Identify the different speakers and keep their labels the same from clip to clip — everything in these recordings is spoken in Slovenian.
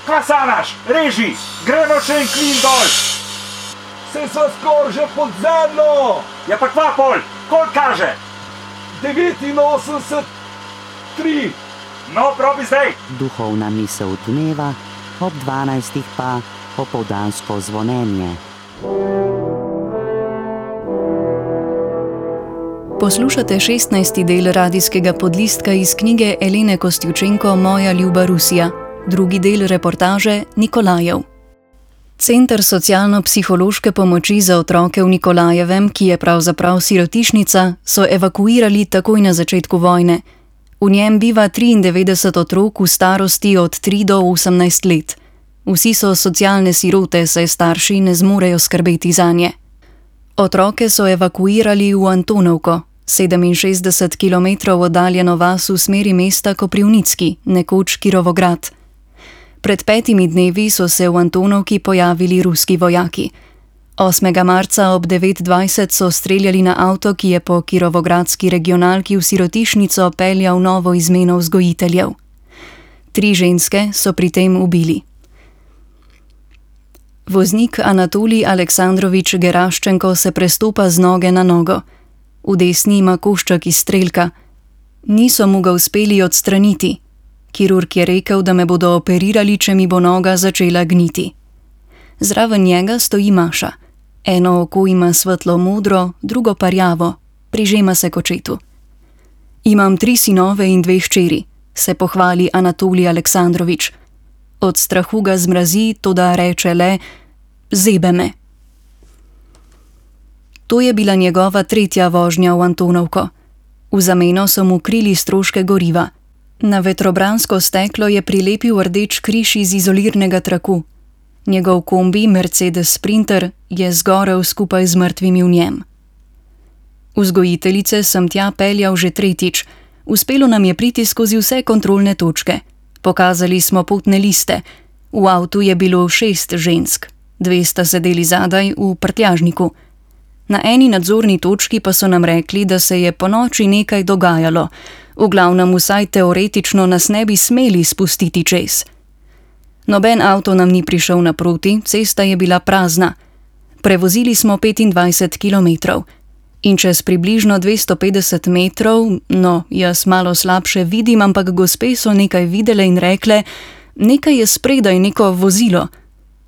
Speaker 1: Kaj sanaš? Reži, gremo še en klin dol.
Speaker 2: Se sva skoraj že pod zemljo.
Speaker 1: Ja pa kva pol, koliko kaže?
Speaker 2: 89,3.
Speaker 1: No, probi zdaj.
Speaker 3: Duhovna misel dneva, ob 12 pa opoldansko zvonjenje.
Speaker 4: Poslušate 16. del radijskega podlistka iz knjige Elene Kostjučenko Moja ljuba Rusija, drugi del reportaže Nikolajev. Center socialno-psihološke pomoči za otroke v Nikolajevem, ki je pravzaprav sirotišnica, so evakuirali takoj na začetku vojne. V njem biva 93 otrok v starosti od 3 do 18 let. Vsi so socialne sirote, saj starši ne zmorejo skrbeti zanje. Otroke so evakuirali v Antonovko, 67 km oddaljeno vas v smeri mesta Koprivnicki, nekoč Kirovograd. Pred 5 dnevi so se v Antonovki pojavili ruski vojaki. 8. marca ob 9:20 so streljali na avto, ki je po kirovogradski regionalki v sirotišnico peljal novo izmeno vzgojiteljev. 3 ženske so pri tem ubili. Voznik Anatolij Aleksandrovič Geraščenko se prestopa z noge na nogo. V desni ima košček iz strelka. Niso mu ga uspeli odstraniti. Kirurg je rekel, da me bodo operirali, če mi bo noga začela gniti. Zraven njega stoji Maša. Eno oko ima svetlo modro, drugo pa rjavo, prižema se k očetu. Imam 3 sinove in 2 hčeri, se pohvali Anatolij Aleksandrovič. Od strahu ga zmrazi, toda reče le: zebe me. To je bila njegova 3. vožnja v Antonovko. V zameno so mu krili stroške goriva. Na vetrobransko steklo je prilepil rdeč križ iz izolirnega traku. Njegov kombi Mercedes Sprinter je zgorel skupaj z mrtvimi v njem. Vzgojiteljice sem tja peljal že 3. Uspelo nam je priti skozi vse kontrolne točke. Pokazali smo potne liste. V avtu je bilo 6 žensk. 2 sta sedeli zadaj v prtljažniku. Na eni nadzorni točki pa so nam rekli, da se je ponoči nekaj dogajalo. V glavnem vsaj teoretično nas ne bi smeli spustiti čez. Noben avto nam ni prišel naproti, cesta je bila prazna. Prevozili smo 25 kilometrov. In čez približno 250 metrov, no, jaz malo slabše vidim, ampak gospe so nekaj videle in rekle: nekaj je spredaj, neko vozilo.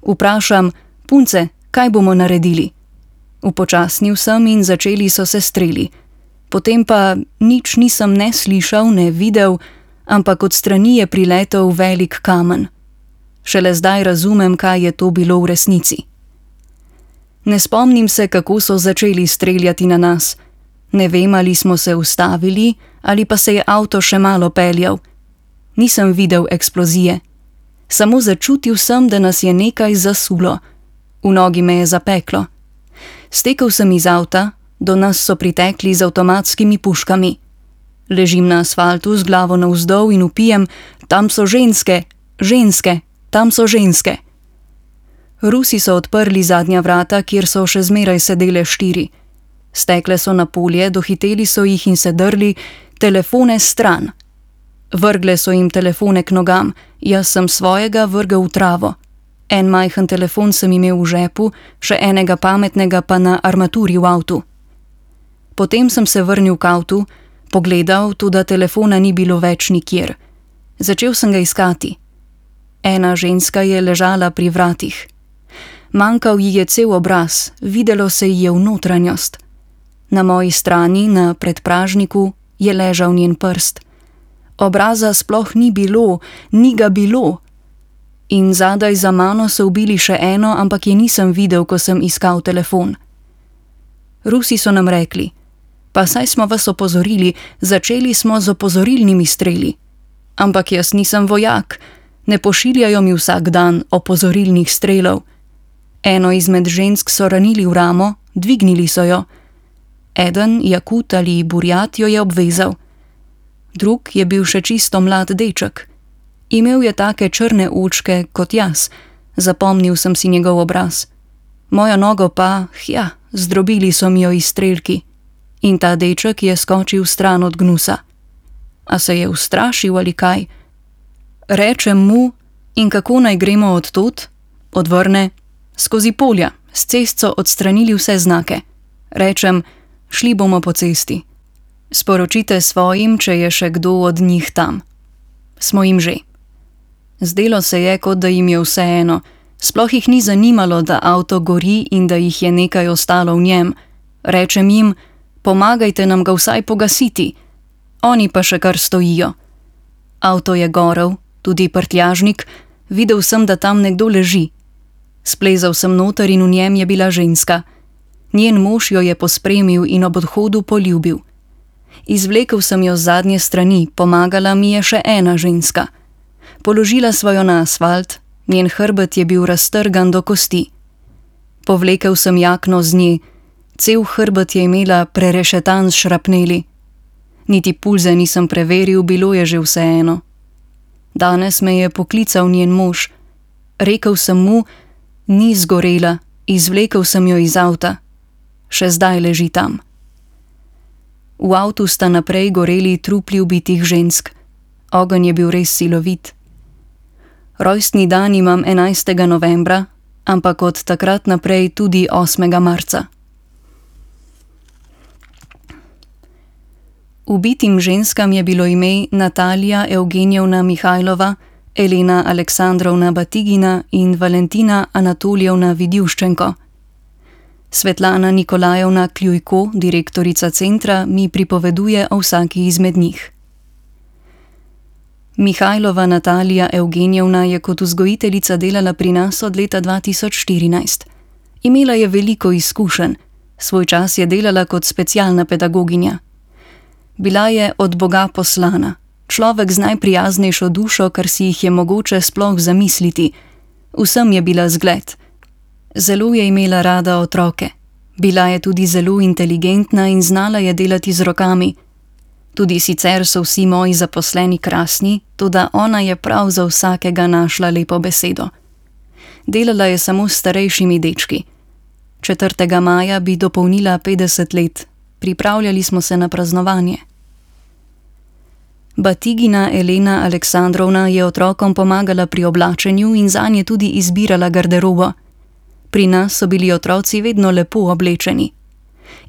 Speaker 4: Vprašam: punce, kaj bomo naredili? Upočasnil sem in začeli so se streli. Potem pa nič nisem ne slišal, ne videl, ampak od strani je priletel velik kamen. Šele zdaj razumem, kaj je to bilo v resnici. Ne spomnim se, kako so začeli streljati na nas. Ne vem, ali smo se ustavili, ali pa se je avto še malo peljal. Nisem videl eksplozije. Samo začutil sem, da nas je nekaj zasulo. V nogi me je zapeklo. Stekel sem iz avta, do nas so pritekli z avtomatskimi puškami. Ležim na asfaltu z glavo navzdol in vpijem: tam so ženske, ženske, tam so ženske. Rusi so odprli zadnja vrata, kjer so še zmeraj sedele 4. Stekle so na polje, dohiteli so jih in se drli: telefone stran. Vrgle so jim telefone k nogam, jaz sem svojega vrgel v travo. En majhen telefon sem imel v žepu, še enega pametnega pa na armaturi v avtu. Potem sem se vrnil k avtu, pogledal, tudi telefona ni bilo več nikjer. Začel sem ga iskati. Ena ženska je ležala pri vratih. Manjkal ji je cel obraz, videlo se ji je v notranjost. Na moji strani, na predpražniku, je ležal njen prst. Obraza sploh ni bilo, ni ga bilo. In zadaj za mano so ubili še eno, ampak je nisem videl, ko sem iskal telefon. Rusi so nam rekli: pa saj smo vas opozorili, začeli smo z opozorilnimi streli. Ampak jaz nisem vojak, ne pošiljajo mi vsak dan opozorilnih strelov. Eno izmed žensk so ranili v ramo, dvignili so jo. Eden, Jakut ali Burjat, jo je obvezal. Drug je bil še čisto mlad deček. Imel je take črne očke kot jaz, zapomnil sem si njegov obraz. Mojo nogo pa, zdrobili so mi jo izstrelki. In ta deček je skočil stran od gnusa. A se je ustrašil ali kaj? Rečem mu: In kako naj gremo od tod? Odvrne: skozi polja, s cest so odstranili vse znake. Rečem: šli bomo po cesti. Sporočite svojim, če je še kdo od njih tam. Smo jim že. Zdelo se je, kot da jim je vseeno. Sploh jih ni zanimalo, da avto gori in da jih je nekaj ostalo v njem. Rečem jim: pomagajte nam ga vsaj pogasiti. Oni pa še kar stojijo. Avto je gorel, tudi prtljažnik, videl sem, da tam nekdo leži. Splezal sem noter in v njem je bila ženska. Njen mož jo je pospremil in ob odhodu poljubil. Izvlekel sem jo z zadnje strani, pomagala mi je še ena ženska. Položila sva jo na asfalt, njen hrbet je bil raztrgan do kosti. Povlekel sem jakno z nje, cel hrbet je imela prerešetan s šrapneli. Niti pulze nisem preveril, bilo je že vseeno. Danes me je poklical njen mož. Rekel sem mu: ni zgorela, izvlekel sem jo iz avta. Še zdaj leži tam. V avtu sta naprej goreli trupli ubitih žensk. Ogenj je bil res silovit. Rojstni dan imam 11. novembra, ampak od takrat naprej tudi 8. marca. Ubitim ženskam je bilo ime Natalija Evgenijevna Mihajlova, Elena Aleksandrovna Batigina in Valentina Anatolijevna Vidjuščenko. Svetlana Nikolajevna Kljujko, direktorica centra, mi pripoveduje o vsaki izmed njih. Mihajlova Natalija Evgenijevna je kot vzgojiteljica delala pri nas od leta 2014. Imela je veliko izkušenj, svoj čas je delala kot specialna pedagoginja. Bila je od Boga poslana, človek z najprijaznejšo dušo, kar si jih je mogoče sploh zamisliti. Vsem je bila zgled. Zelo je imela rada otroke. Bila je tudi zelo inteligentna in znala je delati z rokami. Tudi sicer so vsi moji zaposleni krasni, toda ona je prav za vsakega našla lepo besedo. Delala je samo s starejšimi dečki. 4. maja bi dopolnila 50 let. Pripravljali smo se na praznovanje. Batigina Elena Aleksandrovna je otrokom pomagala pri oblačenju in zanje tudi izbirala garderobo. Pri nas so bili otroci vedno lepo oblečeni.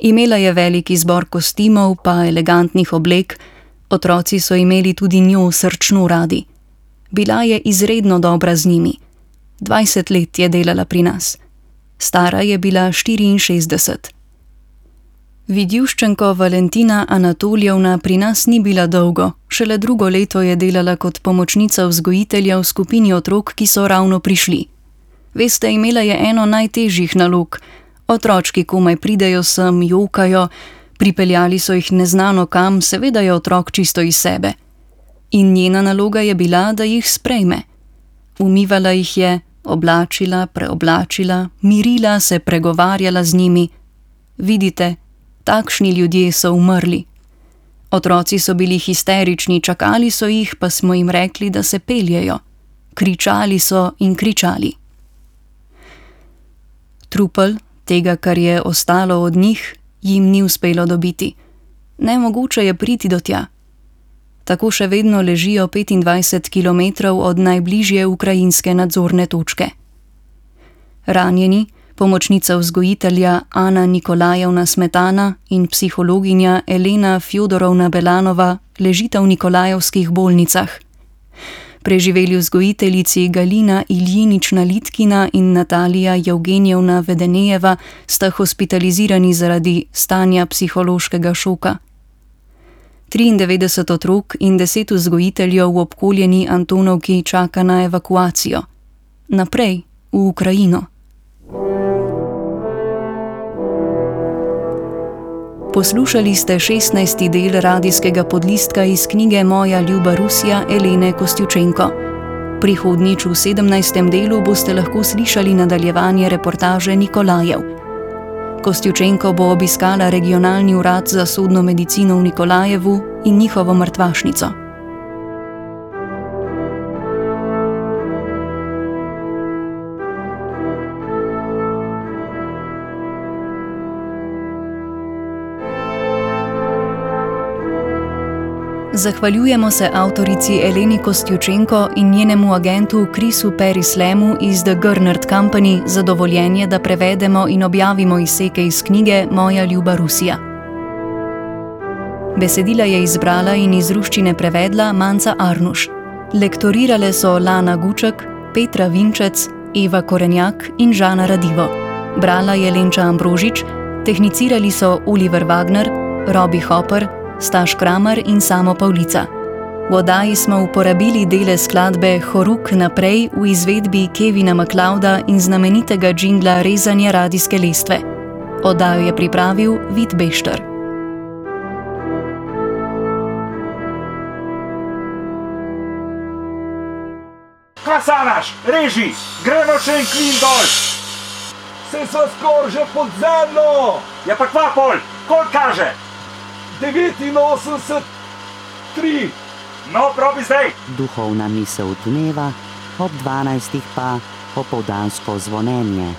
Speaker 4: Imela je velik izbor kostimov pa elegantnih oblek, otroci so imeli tudi njo srčno radi. Bila je izredno dobra z njimi. 20 let je delala pri nas. Stara je bila 64. Vidjuščenko Valentina Anatolijevna pri nas ni bila dolgo, šele drugo leto je delala kot pomočnica vzgojitelja v skupini otrok, ki so ravno prišli. Veste, imela je eno najtežjih nalog. Otročki komaj pridejo sem, jokajo, pripeljali so jih neznano kam, seveda je otrok čisto iz sebe. In njena naloga je bila, da jih sprejme. Umivala jih je, oblačila, preoblačila, mirila se, pregovarjala z njimi. Vidite, takšni ljudje so umrli. Otroci so bili histerični, čakali so jih, pa smo jim rekli, da se peljejo. Kričali so in kričali. Trupel, tega, kar je ostalo od njih, jim ni uspelo dobiti. Nemogoče je priti do tja. Tako še vedno ležijo 25 kilometrov od najbližje ukrajinske nadzorne točke. Ranjeni, pomočnica vzgojitelja Ana Nikolajevna Smetana in psihologinja Elena Fjodorovna Belanova ležita v nikolajevskih bolnicah. Preživeli vzgojiteljici Galina Iljinična Litkina in Natalija Evgenijevna Vedenejeva sta hospitalizirani zaradi stanja psihološkega šoka. 93 otrok in 10 vzgojiteljev v obkoljeni Antonovki čaka na evakuacijo. Naprej, v Ukrajino. Poslušali ste 16. del radijskega podlistka iz knjige Moja ljuba Rusija Elene Kostjučenko. Prihodnjič v 17. delu boste lahko slišali nadaljevanje reportaže Nikolajev. Kostjučenko bo obiskala regionalni urad za sodno medicino v Nikolajevu in njihovo mrtvašnico. Zahvaljujemo se avtorici Eleni Kostjučenko in njenemu agentu Chrisu Perislemu iz The Gernert Company za dovoljenje, da prevedemo in objavimo izseke iz knjige Moja ljuba Rusija. Besedila je izbrala in iz ruščine prevedla Manca Arnuš. Lektorirale so Lana Guček, Petra Vinčec, Eva Korenjak in Žana Radivo. Brala je Lenča Ambrožič, tehnicirali so Oliver Wagner, Robi Hopper, Staš Kramer in Samo Pavlica. V oddaji smo uporabili dele skladbe Horuk naprej v izvedbi Kevina MacLeoda in znamenitega džingla Rezanje radijske lestve. Oddajo je pripravil Vid Bešter.
Speaker 1: Kasanaš, reži, gremo še en klin dol.
Speaker 2: Se sva skoraj že pod zemljo.
Speaker 1: Ja pa kva pol, koliko kaže?
Speaker 2: 89,3.
Speaker 1: No, probi zdaj.
Speaker 3: Duhovna misel dneva, ob 12. pa opoldansko zvonjenje.